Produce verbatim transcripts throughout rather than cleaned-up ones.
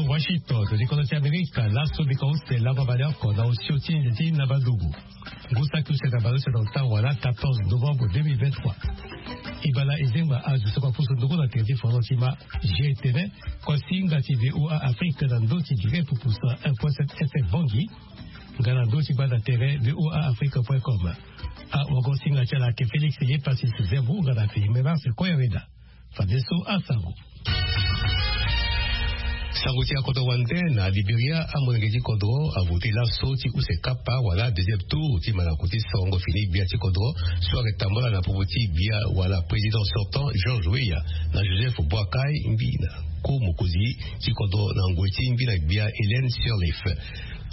Washington, to di kono ti Amerika, laso bika use lava baleoko na osio ti nze ti na badugu. Ngu saki use na baleuse na ota wala quatorze novembre deux mille vingt-trois. Ibala ezengba azo soko apusu ndoko na tere ti fono ti ma je tene, kosinga ti V O A Afrique na ndo ti direct pusa un point sept F M Bongi. Nga na ndo ti gbanda tere V O A Afrique point com. A wago singa ti ala ake Félix Yepasis Zembu nga na Filimenas Koyaweda. Fadeso asango. Sango ti akodro wande na Liberia, amolenge ti kodro avote laso ti use kapa wala deuxième tour ti malako ti sorongo fini gbia ti kodro so ayeke tambula na popo ti gbia wala président sortant George Weah na Joseph Boakai, mbi na ko mokonzi ti kodro na ngoi ti mbi na gbia Hélène Sirleaf.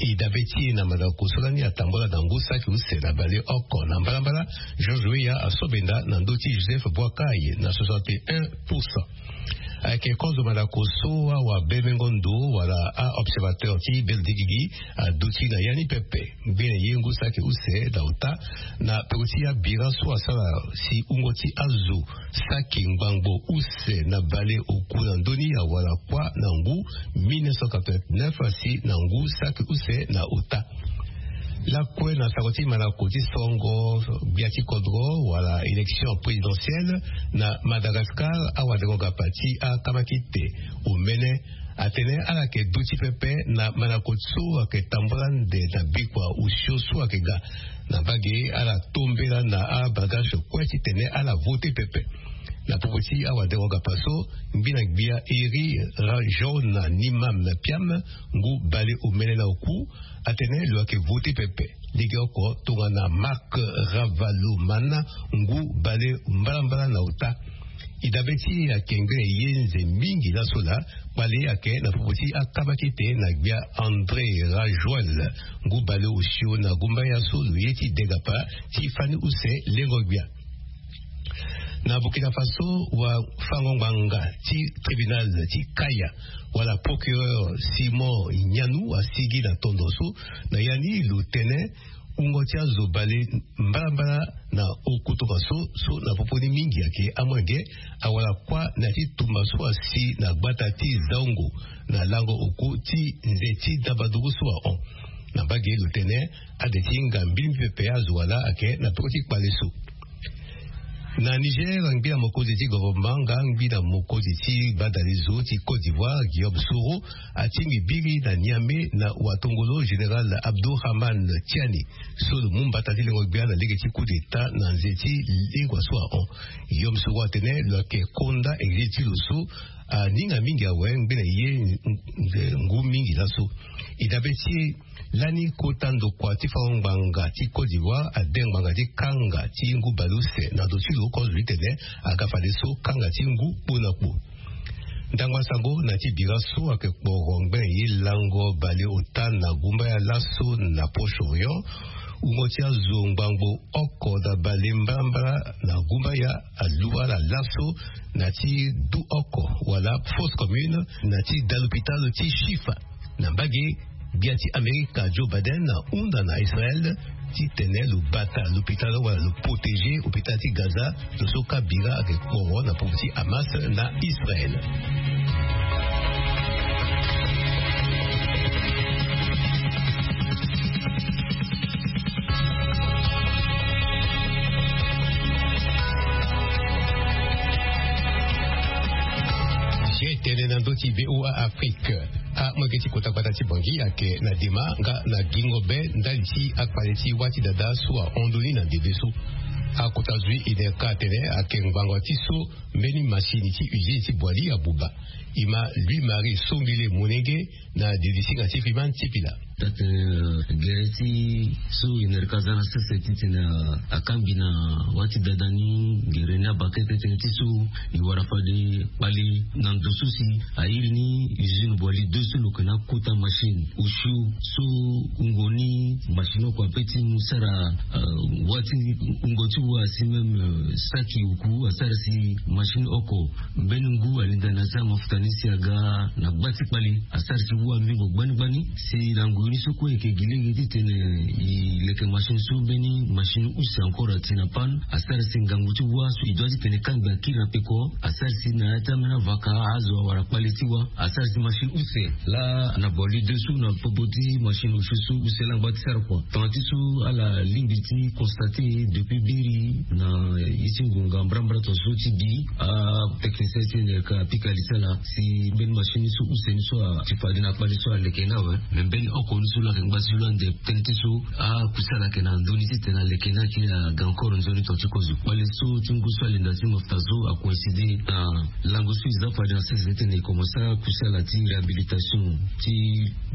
E dabe ti e na mandako so lani atambula na ngu saki use na baleoko na mbalambala, George Weah asobenda na ndö ti Joseph Boakai na soixante et un pour cent. Ayeke kozo mandako so awabemengo ndo wala a-observateur ti bendo ti gigi aduti na ya ni pepe. Ngbene ye ngu saki use na ota na peko ti abira so asara si wungo ti azo saki ngbangbo use na baleoku na ndö ni awara kuâ na ngu mille neuf cent quatre-vingt-neuf si na ngu saki use na ota. Lakue na sango ti malako ti sorongo gbia ti kodro wala élection présidentielle na Madagascar, awadengo-gapa ti akamakite omene atene ala yeke duti pepe na malako so ayeke tambula ande na bikua osio so ayeke ga. Na mbage ala tombela na abagage kue titene ala vote pepe. Na popo ti awadengo-gapa so, mbi na gbia Eri Rajaona Nimam Piam, ngu baleomene na oku, atene lo yeke vote pepe. Legeoko tongana Marc Ravalomanana, ngu baleombalambala na ota. E dabe ti e ayeke ngbene ye nze mingi laso laa, kpale ayeke na popo ti akamakite na gbia André Rajoel, ngu baleosio na gumbaya so lo ye ti degapa ti fani use lengo-gbia. Na Burkina Faso, wafango-ngbanga ti tribunal ti kaya wala procureur Simon Nyanou asigi na tondo so, na ya ni lo tene wungo ti azo bale mbalambala na oku tongaso so na popo ni mingi ayeke amolenge awara kuâ na ya ti tumba so asi na gbata ti Zaungo na lango oko ti nze ti dabadugu so ahon. Na mbage lo tene ade ti hinga mbilimbi pepe azo wala ayeke na peko ti kpale so. Na Niger, ngbi na mokonzi ti gouvernement nga ngbi na mokonzi ti badalezo ti Côte d'Ivoire, Guillaume Soro, atingbi biri na Niamey na watongolo général Abdourahmane Tiani, so lo mu mbata ti lengo-gbia na lege ti coup d'État na nze ti lingua so ahon. Guillaume Soro atene lo yeke konda exil ti lo so aninga mingi awe ngbene ye ngu mingi laso. E dabe ti e lani kota ndokua ti fango-ngbanga ti Côte d'Ivoire ade ngbanga ti kanga ti ngu baleuse na ndo ti lo oko azo ti tene aga fadeso kanga ti ngu kpo na kpo. Ndangba sango na ya ti bira so ayeke kporo ngbene ye lango baleota na gumbaya laso na Proche-Orient. Wungo ti azo ngbangbo oko na bale mbalambala na gumbaya alu ala laso na ya ti du oko wala fausse commune na ya ti da lopitalo ti Shifa. Na mbage, gbia ti Amerika Joe Biden ahunda na Israel titene lo bata lopitalo wala lo protéger hôpital ti Gaza, lo so ka bira ayeke kporo na popo ti Hamas na Israel. Tene na ndö ti V O A Afrique. Amolenge ti kota gbata ti Bangui ayeke na dema nga na gingo be ndali ti akpale ti wâ ti dada so ahon ndoni na ndembe so. Akota zui INERCA atene ayeke ngbanga ti so mbeni masini ti usine ti Boali abuba. E ma Louis Marie Songele Monenge na didi singa ti Fiman Tipila. Tate, eh, gere ti so INERCA aza na sese titene akangbi na wâ ti dada ni, gere ni abakete tënë ti so e wara fade kpale na ndo so si airi ni usine Boali deux so lo yeke na akota machine osio so wungo ni machine oko ape ti mu sara, eh, wâ ti wungo ti wa si même, eh, saki oku asara si machine oko mbeni ngu alinda na ya ti amafuta ni si aga na gba ti kpale asara si wa mingo gbani gbani si lango Ni so kue eke gi lege titene e leke machine so mbeni machine use encore ati na panne, asara si ngangu ti wa so e dua titene kangbi akiri na peko. Asara si na ya ti ambeni avaka azo awara kpale ti wa. Asara si machine use laa na boli deux so na popo ti machine use so use laa ngba ti sara kua. Tongana ti so ala lingbi ti constate depuis biri na ye ti ngonga mbrambra tongaso ti bi, atechnicien ti tene ka apika li ti ala si mbeni machine so use ni so ati fade na kpale so aleke ni awe. Me mbeni oko ni so lo ayeke ngba ti lo ande tënë ti so akuse ala ayeke na ndoni titene aleke ni akiri aga encore nzoni tonga ti kozo. Kpale so ti ngu so alenda ti mafta so acoïncide na lango so e za fade na sese titene e komanse akuse ala ti réhabilitation ti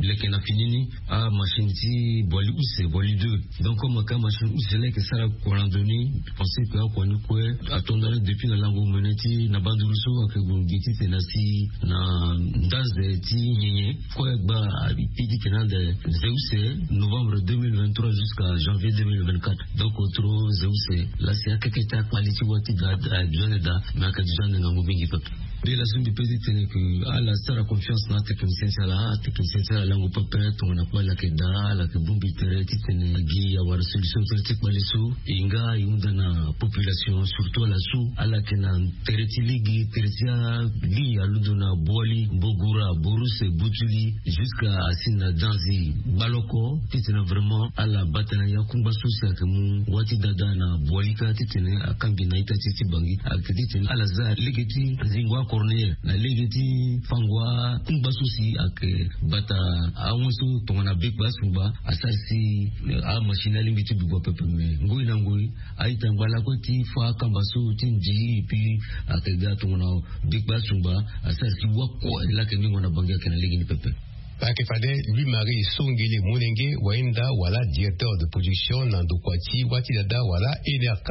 leke na fini ni amachine ti boli use, boli deux. Donc comme aka machine use laa eke sara kua na ndoni. Pense que akua ni kue ato ndani depuis na lango mene ti na banduru so ayeke gue gi titene asi na ndaze ti nyenye kue gba api titene ande ze use novembre deux mille vingt-trois jusqu'à janvier deux mille vingt-quatre. Donc otro ze use laa si akeke ti akpali ti wa ti da, eh, besoin de da. Mais ayeke besoin de ngangu mingi pepe. Be laso mbi pe titene ke ala sara confiance na atechnicien ti ala. Atechnicien ti ala lango pepe tongana kue ala yeke daa, ala yeke bongbi tere titene agi awara solution ti ti kpale so. E nga e hunda na population surtout ala so ala yeke na tere ti lege, tere ti alege alondo na bwali, bogura, boruse, butuli, jusqu'à asi na danzi, gbaloko titene vraiment ala bata na ya kungba so si ayeke mu wa ti dada na bwali kâ titene akangbi na ita ti ti bangi. Ayeke titene ala za lege ti zingo acorneille na lege ti fango akungba so si ayeke bata awen so tongana bekpe asungba. Asara si amachine alingbi ti buba pepe me ngoi na ngoi a-ita ngba lakue ti fa akamba so ti ndi. Epui ayeke ga tongana bekpe asungba. Asara si wakue laa ayeke mingo na bangi ayeke na lege ni pepe. Ayeke fade Louis Marie Songele Monenge, wahinda wala directeur de production na ndokua ti wa ti dada wala N R K.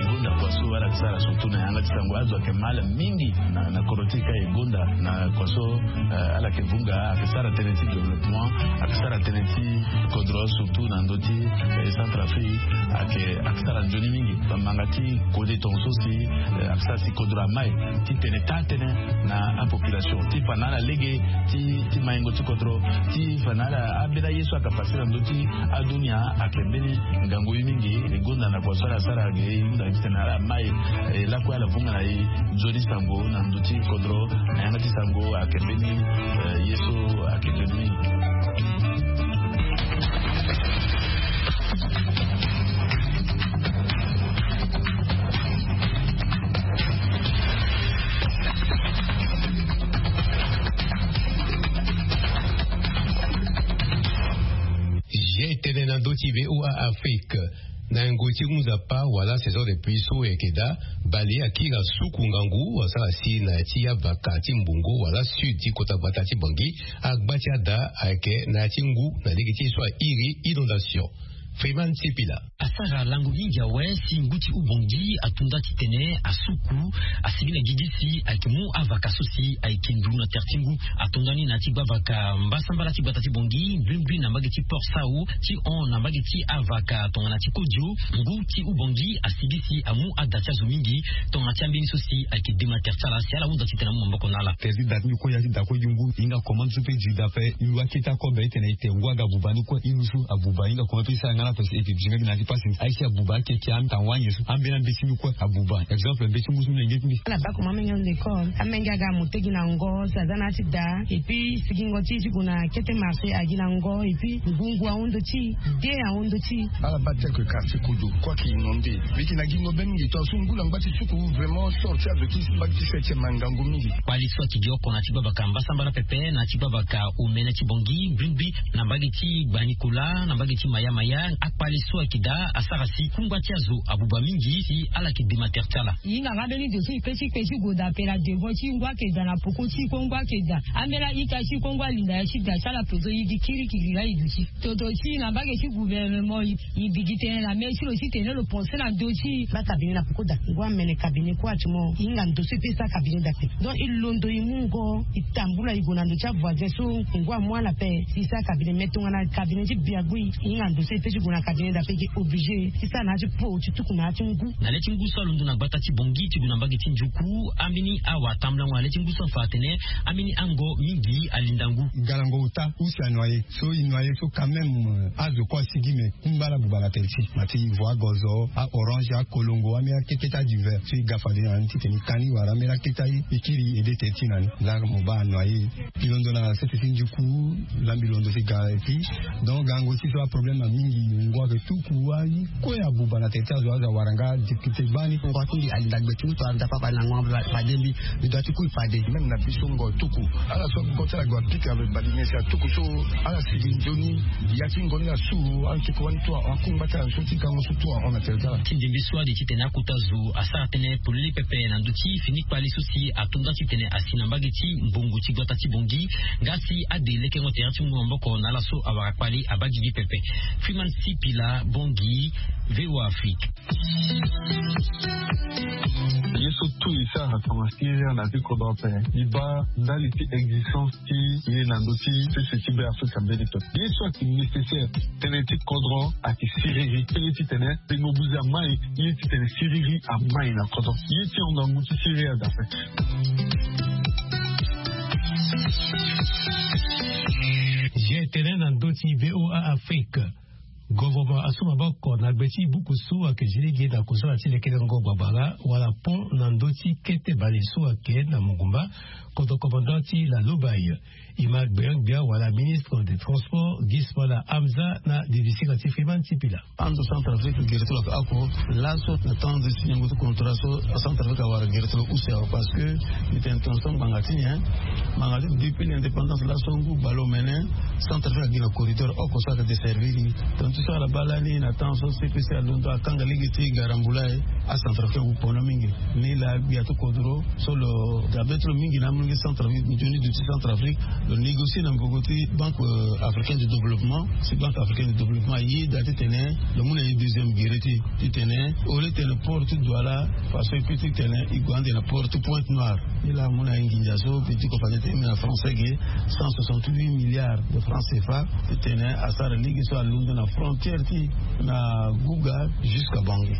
E gonda kua so ala yeke sara surtout na yanga ti sango azo ayeke mal mingi na, na kodro ti e ka e gonda na kua so, eh, ala yeke vunga ayeke sara tënë ti développement, ayeke sara tënë ti kodro surtout na ndö ti, eh, Centrafrique ayeke, ayeke sara nzoni mingi. Bamanga ti kode tongaso si, eh, ayeke sara si kodro amai ti tene taa tënë na apopulation ti fa na ala lege ti, ti maingo ti kodro ti fa na ala ambeni aye so ayeke pase na ndö ti adunia ayeke mbeni ngangu ye mingi. E gonda na kua so ala sara ge e hunda titene ala mai, eh, lakue ala vunga na e nzoni sango na ndö ti kodro na yanga ti sango ayeke mbeni, eh, ye so ayeke nzoni mingi. Zia e tene na ndö ti V O A Afrique. Na ngoi ti ngu nzapa wala saison de pluie so e yeke daa, bale akiri asuku ngangu asara si na ya ti avaka ti mbongo wala sud ti kota gbata ti Bangui, agba ti ada ayeke na ya ti ngu na lege ti ye so airi inondation. Freeman Sipila. Asara lango mingi awe si ngu ti Ubangui ato nda titene asuku, asigi na gigi si ayeke mu avaka so si ayeke ndu na tere ti ngu. Ato nda ni na ya ti gba avaka mbasambala ti gbata ti Bangui, mbrimbri na mbage ti Port Sau, ti hon na mbage ti avaka tongana ti Kodio. Ngu ti Ubangui asigi si amu ada ti azo mingi tongana ti ambeni so si ayeke dema tere ti ala si ala hunda titene amu maboko na ala. Tere ti da ti mbi kue ya ti da kue gi ngu, e hinga commande so pe gi da pe. E lu akete akobe titene e te ngu aga buba ni kue, e lu so abuba, e hinga commande pe e sara nga na pe si e ke gi nga gi na ya ti pasi. Aye si abuba akeke ata wange so ambeni ambe ti mbi kue abuba. Exemple mbe ti ngu so mbi lenge ti mbi. Ala baa comment amenge ahon na école, amenge aga amu tegi na ngo si aza na ya ti da. Et puis sigingo ti e ti gue na kete marché agi na ngo. Et puis ngu ngu ahon ndö ti e, de ahon ndö ti e. Ala baa tel que quartier Kodio kue ayeke inondé. Mbi yeke na gingo be mingi tongaso ngu na ngba ti suku vraiment sort ti azo ti mbage ti septième angangu mingi. Kpale so ayeke gi oko na ya ti gba avaka mbasambala pepe na ya ti gba avaka omene ti Bangui, mbrimbri na mbage ti Gbanikola, na mbage ti Maya Maya, akpale so ayeke daa asara si kungba ti azo abuba mingi si ala yeke dema tere ti ala. E hinga nga mbeni ndo so e pe ti kpe ti gue daa pela devant ti ngu ayeke daa na poko ti e kue ngu ayeke daa. Ambeni a-ita ti e kue ngu alinda ya ti daa ti ala pozo e gi kirikiri laa e duti. Toto ti e na mbage ti gouvernement e, e bigi tënë na mê ti lo titene lo pense na ndö ti e. Baa cabinet na poko daa. Ngu amene cabinet kue ati mo. E hinga ndo so e pe sara cabinet daa ape. Donc e londo e mu ngo e tambula e gue na ndo ti avoisin so ngu amu ala ape si e sara cabinet. Mais tongana cabinet ti biagui e hinga ndo so e pe ti Gue na cabinet d'appel gi obligé ti sara na ya ti po ti tuku na ya ti ngu. Na le ti ngu so alondo na gbata ti bongi ti gue na mbage ti njuku, ambeni awa atambulango na le ti ngu so afa atene ambeni ango mingi alinda ngu. Galango ota use anoye so inoye so quand même azo kue asigi me kungba ala buba na tere ti ma ti ivoire gozo, a orange, akolongo, ambeni akeketa diver so iga fade na ni titene ikani wala ambeni aketa ikiri ede tere ti na ni. La mo baa anoye. Mbi londo na sese ti njuku. La mbi londo si ga eti. Donc gango si so aproblème na mingi ngua ke tuku ayi kue abuba na tere ti azo azo awara nga. Difficulté gbani ngua ti mbi alinda gbe ti ngu to alinda papa na ngua fade mbi. Mbi doit ti kui fade même na biso ngua tuku. Ala so go ti ala go apika badi nyen si atuku so ala sigi nzoni. Ya ti ngoni la su antuku wani tu ahon akungba ti ala so ti gango so tu ahon na tere ti ala. Ti ndembe so ade titene akota zo asara tënë polele pepe na ndö ti fini kpale so si atonda titene asi na mbage ti mbongo ti gbata ti bongi. Nga si ade lekengo tere ti ngu maboko na ala so awara kpale abaa gigi pepe. Freeman Sipila, Bongi, VOA Afrique. Ye so tout e sara tongana syrie na ti kodro ape. E baa ndali ti existence ti ye na ndö ti sese ti be afrika mbeni pepe ye so ayeke nécessaire. Tënë ti kodro ayeke siriri tënë titene tengo buzi amai. Ye titene siriri amai na kodro ye ti honga ngu ti siriri aza ape. Ge tene na ndö ti VOA Afrique. Govornement asu maboko na gbe ti buku so ayeke zi lege na kusala ti lekelengo gbabala wala pont na ndö ti kete bale so ayeke na mongumba. Kodro commandant ti la lobai. E ma gbeon-gbia wala ministre de transport gismala hamza na divisira ti freeman ti pila. Anzo centrafrique gere ti lo ake oko laso na temps ti signango ti contrat so acentrafrique awara gere ti lo use awe parce que mbi tene tongaso ngbanga ti nyen? Ngbanga ti depuis l'indépendance laso ngu baleomene centrafrique agi na corridor oko so ayeke desservir ni. Tongaso ala baa lani na temps so cpc alondo akanga lege ti garambula e acentrafrique awu pono mingi. Ni laa gbia ti kodro so lo dabe ti lo mingi na amolenge centrafrique nzoni duti centrafrique lo négocier na mbongo ti banque africaine de développement. Si banque africaine de développement ayeda titene lo mu na ye deuxième gere ti titene au lieu titene port ti douala façon e kue titene e gue ande na port ti pointe noire. Ni laa amu na ye nginza so mbi diko fade ti mbi na français ge cent soixante-huit milliards de francs cfa. Titene asara lege so alondo na frontière ti na guga jusqu'à bangi.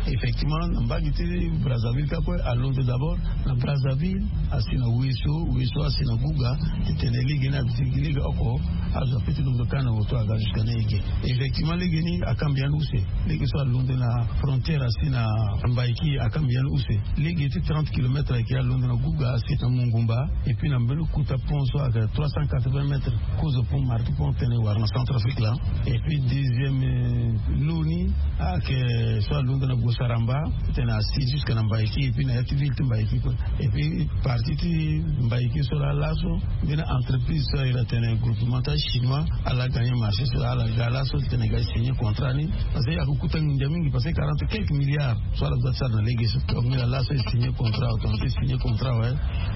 Effectivement na mbage ti brazzaville ka kue alondo d'abord na brazzaville asi na weso weso asi na guga. Titene lege ni abitiki lege oko azo ape ti londo ka na woto aga jusqu'à na ege. Effectivement lege ni akambi yani use. Lege so alondo na frontière asi na mbaiki akambi yani use. Lege ti trente kilomètres ayeke alondo na guga asi na mongumba. Et puis na mbeni kota pont so ayeke trois cent quatre-vingts mètres kozo pont marti pont tene wara na centrafrique laa. Et puis deuxième lo ni ayeke so alondo na gosaramba titene asi jusque na mbaiki et puis na ya ti ville ti mbaiki kue. Et puis partie ti mbaiki so laa laso mbeni entreprise so ayeke tene groupement ti achinois ala gagner marché so laa ala ga laso titene ga signer contrat ni. Parce que ayeke kota nginza mingi parce que quarante quelques milliards so ala doit ti sara na lege so. Donc ni laa laso e signer contrat awe tongana ti signer contrat awe.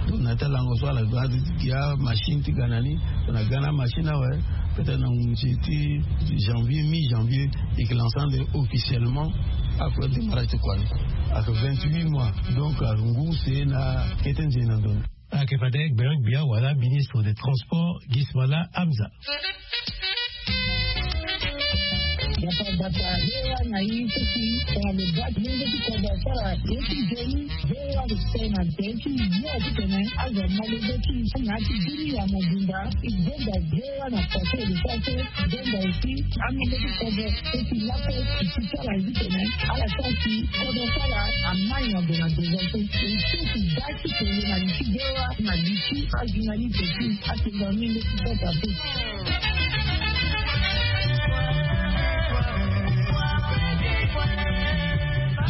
Donc na ya ti alango so ala ga ti gi amachine ti ga na ni. Tongana ga na amachine awe peut-être na ngunzi ti janvier mi janvier e yeke lancer ande officiellement. Ape démarrage ti kua ni ayeke vingt-huit mois. Donc ayeke ngu use na kete nzoni na ndo ni. Ayeke fade gbeon-gbia wala ministre de transport gismala hamza. Gbata gbata ye wa na ye so si tongana lo baa ti lenge ti kodro asara ye ti nzoni. Ye wa lo tene na tere ti yo titene azo amolenge ti na ya ti bini ya mobimba. E gbenda ye wa na pase e lo so ase gbenda aussi amolenge ti kodro so si laso e si sara ye titene ala sara si kodro so ala amai na gue na devant so e so si baa ti tene na li ti ge wa na li ti ajournaliste ti atenga mingi ti kota pe.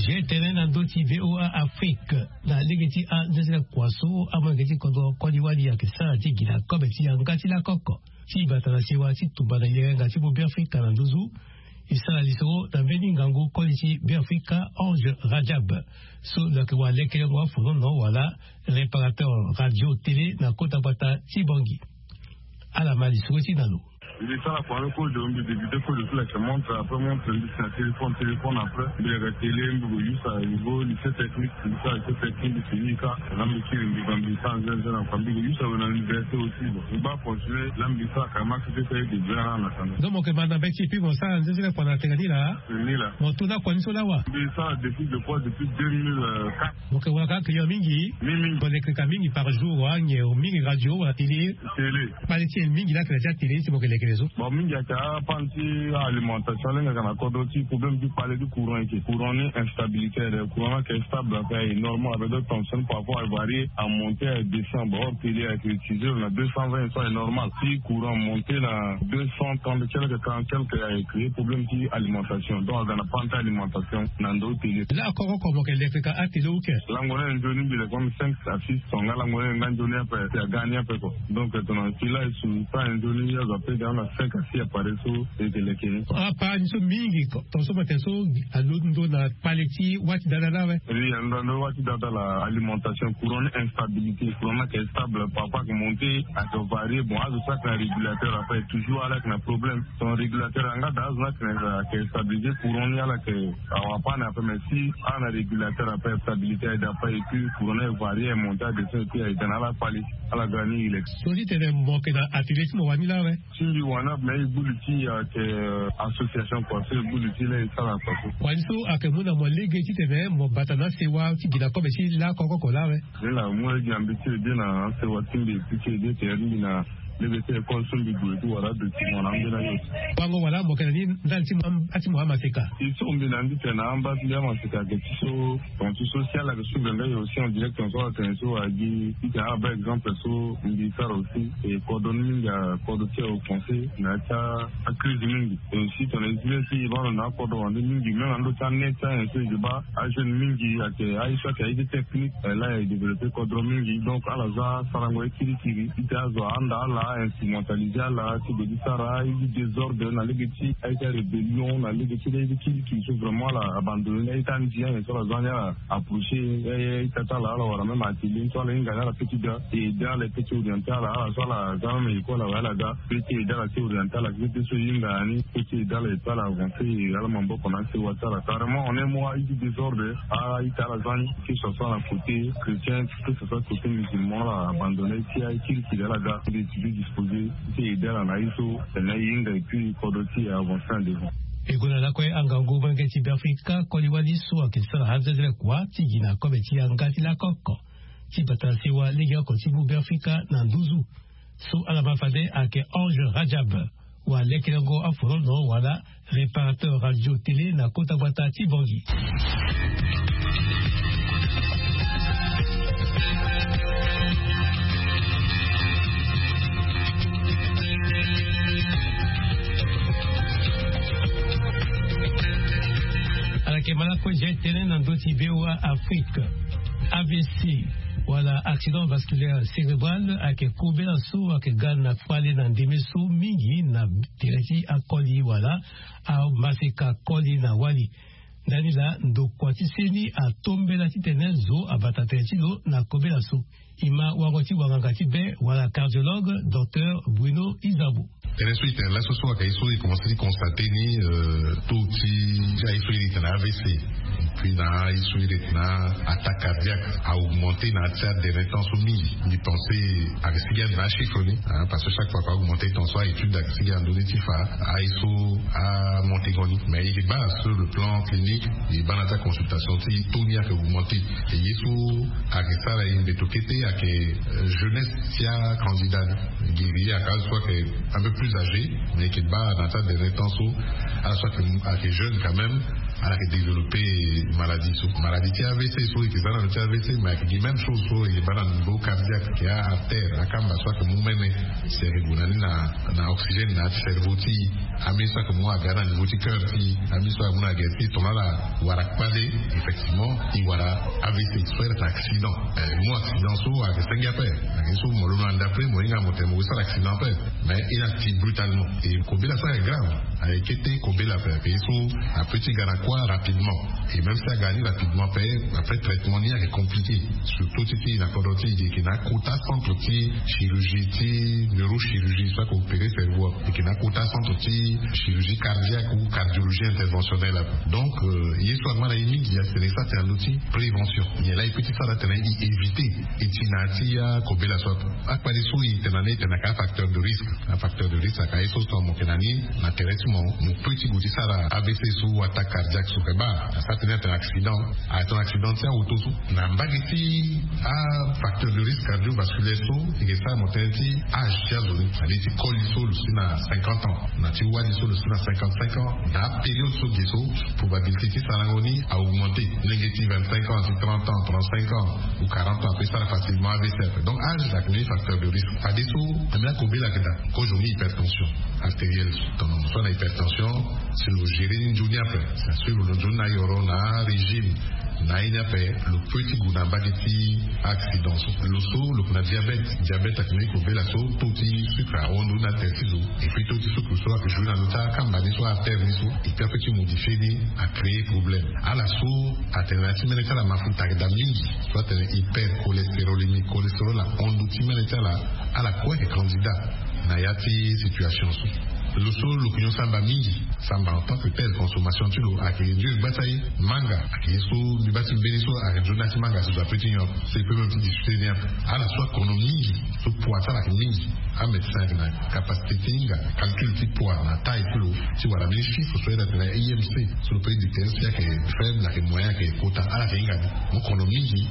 Ge tene na ndö ti VOA Afrique na lege ti anze ti lakua so amolenge ti kodro koli wali ayeke sara ti gi na kobe ti yanga ti lakoko ti bata na sewa ti tumba na yenga ti bobeafrika na nduzu. E sara lisoro na mbeni ngangu koli ti beafrika Ange Radjab so lo yeke wara lekelengo afonono wala réparateur radio télé na kota gbata ti Bangui. Ala ma lisoro ti na lo. Mbi sara kua ni kozo, mbi débuté kozo ti leke montre, après montre mbi si na téléphone, téléphone après mbi leke télé, mbi ko use na niveau lycée technique, mbi sara lycée technique, mbi fini ka. Na mbi kiri mbi ga mbi sara nzenze na kua, mbi ko use awe na université aussi. Bon, mbi baa continuer la, mbi sara ka max ti fete de bien na na kanda. Donc mo yeke ma na mbeti et puis mo sara nzenzele kua na tene ni laa. Ni laa. Mo to na kua ni so laa wa? Mbi sara depuis de kua depuis deux mille quatre. Mo yeke wara ka client mingi? Mingi mingi. Mo leke ka mingi par jour wa nyen? Mingi radio wala télé? Télé. Kpale ti e mingi laa ayeke na ti atélé ti mo yeke lekere so? Bon, mingi ayeke apane ti alimentation, lenge ayeke na kodro ti problème ti kpale ti courant, eke courant ni instabilité, le courant ni ayeke stable, ayeke normal, avec d'autres tensions parfois avarié, amonté, adescend. Bon, or télé ayeke utilisé na deux cent vingt, so ayeke normal. Si courant monté na deux cent trente quelque, quarante quelque, ayeke créé problème ti alimentation, donc aga na panne ti alimentation na ndo télé. Laa koko oko mo yeke leke ka atélé ou ke? Lango ni nzoni mbi leke comme cinq à six tonga, lango ni nga nzoni ape, si aga ni ape ko. Donc tongana si laa e su sara nzoni, azo ape ga na cinq à six appareil so e yeke leke ni. Apara ni so mingi ko, tonga so mo tene so alondo na kpale ti wâ ti dada laa awe? Oui, alondo na wâ ti dada laa, alimentation, courant ni instabilité, courant ni ayeke stable, parfois ayeke monté, ayeke varié. Bon, azo so ayeke na régulateur ape toujours ala yeke na problème. Son régulateur yanga daa, azo ni ayeke na, ayeke stabilisé, courant ni ala yeke awa apane ape, mais si ala na régulateur ape, stabilité aye daa ape, et puis courant ni ayeke varié, ayeke monté, adescend, et puis ayeke ga na ala kpale, ala ga ni relax. So ti tene mo yeke na atelier ti mo wani laa awe? Ti mbi wani ape, mais e gbu li ti e ayeke, euh, association kua so e gbu li ti laa e sara kua so. Wani so ayeke mu na mo lege titene mo bata na asewa ti gi na kobe ti lakoko oko laa awe? Ni laa mu lege na mbi ti e de na asewa ti mbi, ti e de tere ti mbi na lege ti école so mbi gue ti wara adocument na ambeni ayo. Wango wala mo yeke na ni ndali ti mo am-, ati mo amaseka? E so mbi na ni titene na amba ti mbi amaseka ayeke ti so. Ton ti so si ala yeke suivre nga e aussi en direct, ton so ala tene so agi ti tene ala baa exemple so mbi sara aussi. E kodro ni mingi akodro ti aoffense na ya ti acrise mingi. E aussi tongana e zi ni si e baa lo na akodro wande mingi, même na ndö ti anet ti ayen so e yeke baa ajeune mingi ayeke aye so ayeke aye ti technique, eh, laa e développé kodro mingi. Donc ala za asarango ye kirikiri ti tene azo ahanda ala, instrumentalisé ala ti gue ti sara aye ti désordre na lege ti aye ti arébellion, na lege ti aye ti kirikiri so vraiment ala abandonné ni aye ti andi ayen so ala za ni ala approché, eh, eh, ita ti ala, ala wara même atelier ni so ala hinga ni ala peut ti ga, e aidé ala, e peut ti orienté ala, ala so ala za même école awe ala ga, peut ti aidé ala ti orienté ala, peut ti so e hinga na ni, peut ti aidé ala, e peut ala avancé, e ala maboko na asewa ti ala. Carrément, en un mot, aye ti désordre, a-ita ala za ni, que ce soit na côté chrétien, que ce soit côté musulman, ala abandonné ti aye kirikiri ala ga, e peut ti disposé ti aidé ala na aye so, tene e hinga, et puis kodro ti e avancé en devant. E gue na lakue angangu molenge ti Beafrika, koli wali so ayeke sara anzenzele kua ti gi na kobe ti yanga ti lakoko ti bata na sewa legeoko ti mu Beafrika na nduzu. So ala ma fade ayeke Ange Rajab, wa lekerengo afolono wala réparateur radio télé na kota gbata ti Bangui. Ala yeke ma lakue zia tënë na ndö ti V O A Afrique. A V C, wala accident vasculaire cérébral, ayeke kobela so ayeke ga na kpale na ndeme so mingi na tere ti akoli wala amaseka koli na wali. Ndani laa ndokua ti seni atombela titene zo abata tere ti lo na kobela so. E ma wango ti wanganga ti be wala cardiologue, docteur Bruno Izabo. Tënë so e tene laso so ayeke ye so e commencé ti constaté ni, euh, taux ti aye so e tene A V C, puis na aye so e tene attaque cardiaque a augmenté na ya ti adere temps so mingi. Mbi pensé ayeke sigi ande na achiffre ni, hein, parce que chaque fois ka augmenté, ton so a-étude ayeke sigi ande ni ti fa aye so amonté ngo ni. Mais e baa sur le plan clinique, e baa na ya ti aconsultation ti taux ni ayeke augmenté. E ye so ayeke sara e mbeto kete ayeke, euh, jeunesse ti acandidat ni. Gi e ayeke azo so ayeke un peu plus âgé, mais e yeke baa na ya ti adere temps so ala so ayeke, ayeke jeune quand même, ala yeke développé maladie so. Maladie ti A V C so e yeke za na lo ti A V C, mais ayeke gi même chose so e yeke baa na niveau cardiaque, ayeke a-artère, akamba so ayeke mu mene, si ayeke gue na ni na, na oxygène na ya ti cerveau ti e. Ambeni so ayeke mu aga na niveau ti cœur ti e, ambeni so ayeke mu na gere ti e, tongana ala wara kpale, effectivement e wara A V C so ayeke accident. Eh, mu accident so ayeke senge ape. Ayeke so mo londo na ndapre, mo hinga mo tene mo sara accident ape. Mais e na ti brutalement. E kobela so ayeke grave. Ayeke te kobela ape ayeke ye so ape ti ga na kuâ rapidement. Et même si aga ni rapidement ape, après traitement ni ayeke compliqué. Surtout ti ti na kodro ti e yeke na akota centre ti chirurgie ti neurochirurgie so ayeke opéré cerveau ape, e yeke na akota centre ti chirurgie cardiaque ou cardiologie interventionnelle ape. Donc ye so angba na ye mingi atene e sara tene na ndö ti prévention. Nyen laa e peut ti sara tene e éviter e ti na ya ti akobela so ape? Akpali so e tene na ni e tene na ka afacteur de risque. Afacteur de risque ayeke aye so so amoke na ni na tere ti mo, mo peut ti gue ti sara avc so, attaque cardiaque so. Keba asara tene atene accident, atene accident ti aoto so. Na mbage ti afacteur de risque cardiovasculaire so e yeke sara mo tene ti âge ti azo ni. Ade ti koli so lo si na cinquante ans, na ti wali so lo si na cinquante-cinq ans, na apériode so ge so probabilité ti sarango ni a augmenté. Lenge ti vingt-cinq ans, ti trente ans, trente-cinq ans ou quarante ans ape sara facilement avc. Donc âge ayeke mbeni facteur de risque. Fade so ambeni akobela ayeke daa kozo ni hypertension artérielle so. Tongana mo so na hypertension, si lo gérer ni nzoni ape, si a suivre lo nzoni na ayoro na arégime na aye ni ape, lo peut ti gue na mbage ti accident so. Lo so lo yeke na diabète. Diabète ayeke mbeni kobela so taux ti sucre ahon ndo ni na tere ti zo. Et puis taux ti sucre so ayeke jouer na ndö ti akamba ni so, artère ni so. Et puis apeut ti modifier ni, acréer problème. Ala so atene na ya ti mene ti ala mafuta ayeke daa mingi, so atene hypercholestérolémie, cholestérol ahon ndo ti mene ti ala. Ala kue ayeke candidat na ya ti situation so. Lo so lo yeke nyon samba mingi, samba en tant que tel, consommation ti lo ayeke nzoni gba ti aye. Manga ayeke ye so mbi baa ti mbeni so ayeke nzoni na ya ti manga so zo apeut ti nyon ape. So e peut même ti discuter ni ape. Ala so akono mingi, so poids ti ala ayeke mingi, amédecin ayeke na capacité ti hinga calcul ti poids na taille ti lo, ti wara mbeni chiffre so ayeke na I M C. So lo peut ti détecter si ayeke faible, ayeke moyen, ayeke kota, ala ayeke hinga ni. Mo kono mingi,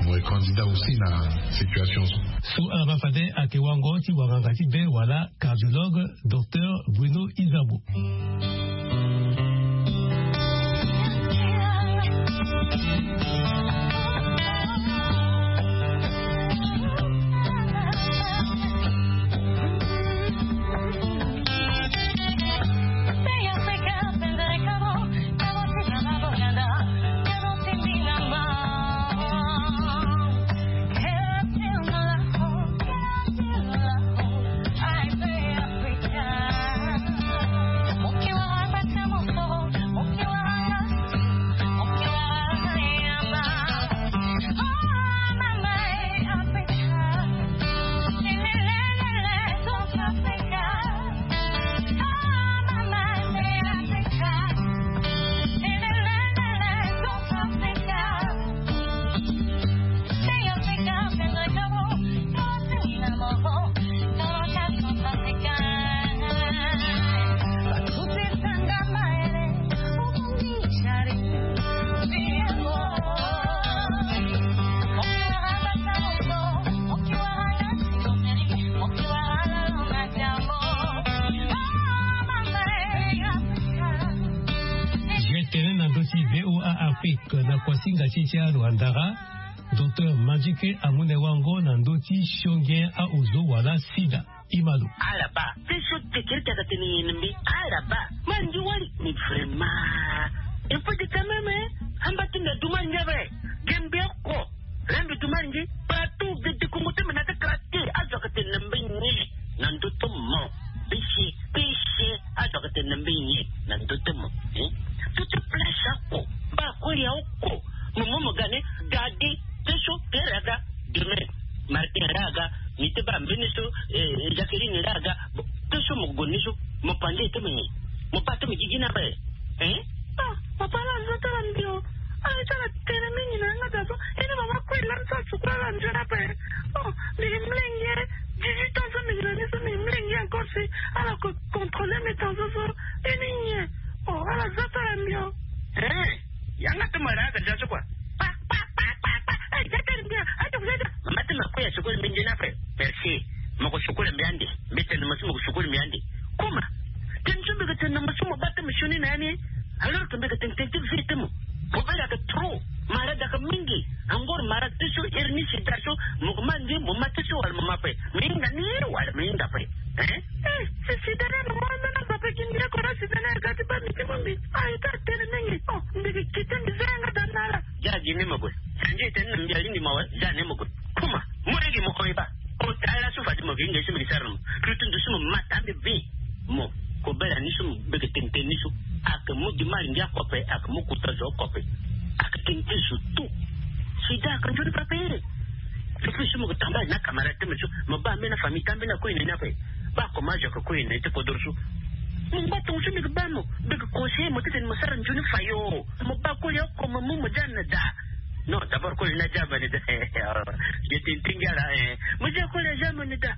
mo yeke candidat aussi na situation so. So ala baa fade ayeke wango ti wanganga ti be wala cardiologue, docteur Bruno Isabeau. Tene na ndö ti V O A Afrique na kuasinga ti ti aluandara, docteur Mandike amu na e wango na ndö ti sionge aozo wala sida. Imalo. Ala baa. Peso tekere ti aga tene nyen na mbi? Ala baa. Mara nge wali. Mais vraiment. Il faut de quand même, hein? Amba ti mbi adu mara nge ape. Ge mbi oko. Re mbi du mara nge. Partout de, de Congo ti mbi na ti quartier. Azo aga tene na mbi nyen na ndö ti mo? Péché, péché. Azo aga tene na mbi nyen na ndö ti mo? Hein? Tout place oko. Mba koli oko. Mo mo mo ga ni. Gadi. Peso, kere aga. Demain, Martin ra aga, ni te baa mbeni so, eh, Jacqueline ra aga. Bon, peso mo gue ni so, mo pande ti mo nyen? Mo baa ti mo gigi ni ape. Hein? Ah, papa, ala zo ti ala mbi o. Ala ti ala tene mingi na yanga daa so. Ini mama kue lani so asukula ala nzoni ape. Oh, mbi mlenge. Dix-huit ans so mbi na ni so mbi mlenge encore si ala ko contrôler mes tensions so. Ini nyen? Oh, ala zo ti ala mbi o. Hein? Yanga ti mo ra aga déjà so kua. Pa, pa, pa, pa, pa. Eh, ja tene mbi a, aja kuja ja. Mama ti ma kue asukulu mbi nzoni ape. Merci. Mo ko sukulu mbi ande. Mbi tene mo si mo ko sukulu mbi ande. Kuma. Tene so mbi ko tene mo si mo baa ti mo sioni na ya ni. Alors que mbi ko tene tene ti vie ti mo. Problème ayeke trop. Malade ayeke mingi. Encore malade ti so, hernie, sida so. Mo ko ma nge, mo ma ti so wala mo ma ape. Mo hinga ni wala mo hinga ape. Hein? Eh, si sida ni mo ma na ape ki mbi oko na sida ni aga ti baa mbi ti mo mbi. Ah, e ta tene mingi. Oh, mbi ke kite mbi za yanga daa na ala. Ja gi ni mo gue. Sanji tene na mbi alingbi mo awe, ja ni mo gue. Kuma, mo lege mo ko e baa. O ta ala so fade mo ke hinga ye so mbi ke sara na mo. Lutu ndusu mo ma ta mbi vi. Mo. Kobela ni so mo beke tene tene ni so. Ake mu dimari ngia kope, ake mu kuta zo kope. Ake tene tene zo tu. Sida ake nzoni pape. Fifisi mo ke tambali na camarade te mo so mo ba mena famille tambe na koyene ni ape. Ba koma zo ke koyene te kodoro so. Mo ngba tongo so mbi ke ba mo, mbi ke conseiller mo tete ni mo sara nzoni fayo. Mo ba koli oko mo mu mo dia na da. Non, d'abord koli na dia bani da. Je te ntingi ala. Mo dia koli a dia bani da.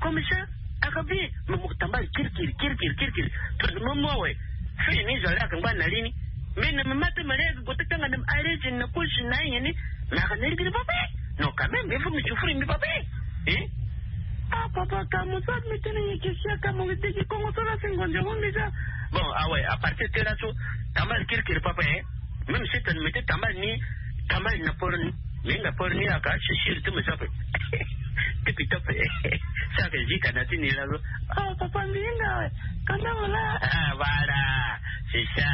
Comme ça, aka bi mo mo tambali kirikiri kirikiri kirikiri. Tout mo mo we. Fini zo ala ka ngba na lini. Mais na mama pe mare go te tanga na arrêté na kusi na yini. Na ka neri kiri pape. Non, quand même il faut me souffrir mi pape. Hein? Ah papa, ka mo sa mi tene ye kisia ka mo te ki kongo so la singo ndia wonde ja. Bon, ah ouais, à partir de là so tambali kirikiri papa, hein. Même si tu me mets tambali ni, tambali na poro ni. Minga pori ni aka sisiri ti mo sape. Tipi tope. Saka zika na ti ni la zo. Oh papa, minga we. Kanda wala. Ah voilà. C'est ça.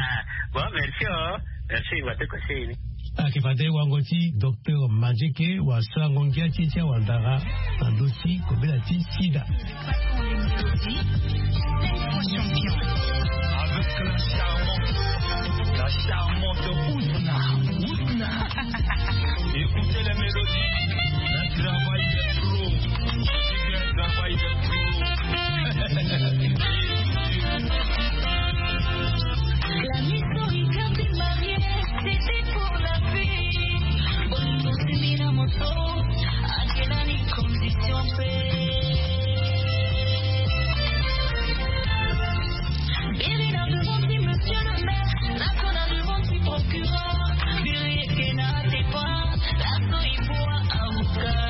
Bon, merci oh. Merci wa te conseil ni. Ake fade wango ti docteur Manzeke wa sango ngia ti ti awandara na ndo ti kobela ti sida. Avec la charmante, la charmante Ousna. Ousna. Écoutez les mélodies. Le travail des pros. Le travail des pros. La mission est bien démarrée, c'était pour la paix. Bonne continuité dans mon sort. Akelani condition pe. Biri na devant ti monsieur le maire, la kona devant ti procureur. Biri eke na te pa, la so il faut avocat.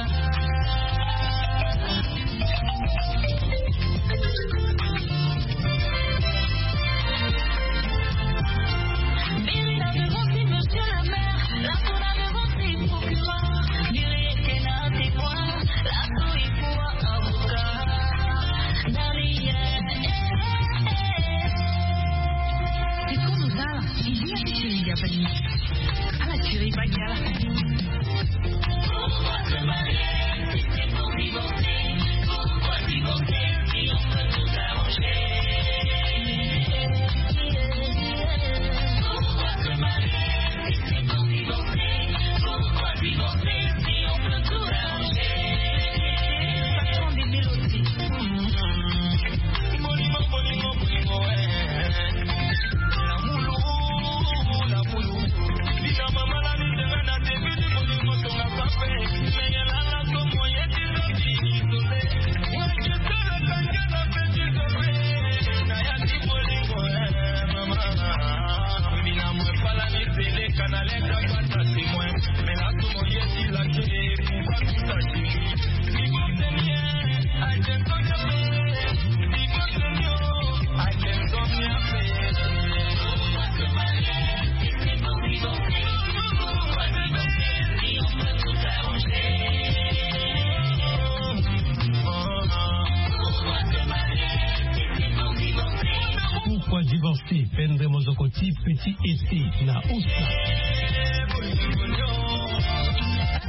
Pourquoi divorcer? Pendre mozoko ti petit été na usa.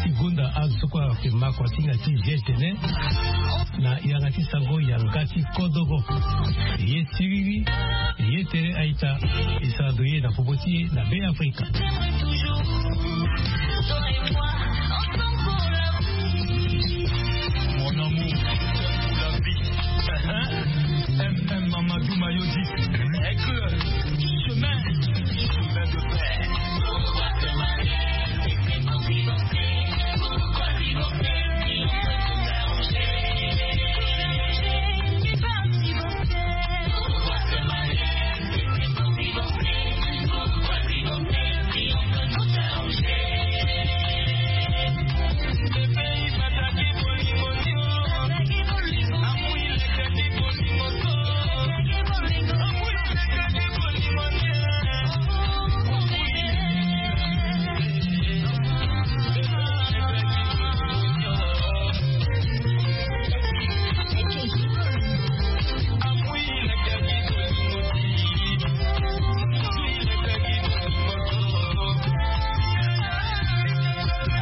Ti gonda azo so kue ayeke ma kua ti hinga ti G T N na yanga ti sango yanga ti kodoro. Ye siriri, ye tere aita, e sara ndo ye na popo ti e na Be Afrika. Mon amour, pour la vie. M M Mamadou Mayodi. Aigle, chemin, chemin de fer.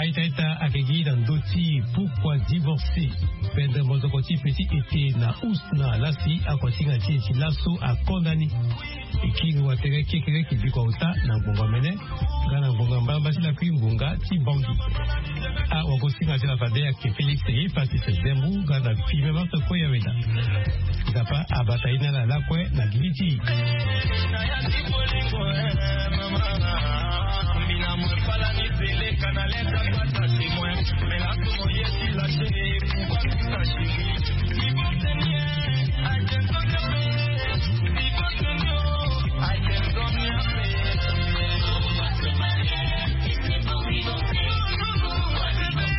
Aita aita ayeke gi na ndö ti Ti pourquoi divorcer? Pendent mozoko ti petit ete na usna lasi ako ti nga ti eti laso akonda ni. Ekiri watere kekere kibiko auta na ngonga mene nga na ngonga mbalamba ti lakui ngonga ti bangi. Awako singa ti la fade ake Félix ye Francis Zembu nga na filme marto koya weda. Nzapa abata ye na ala lakue na gigi ti.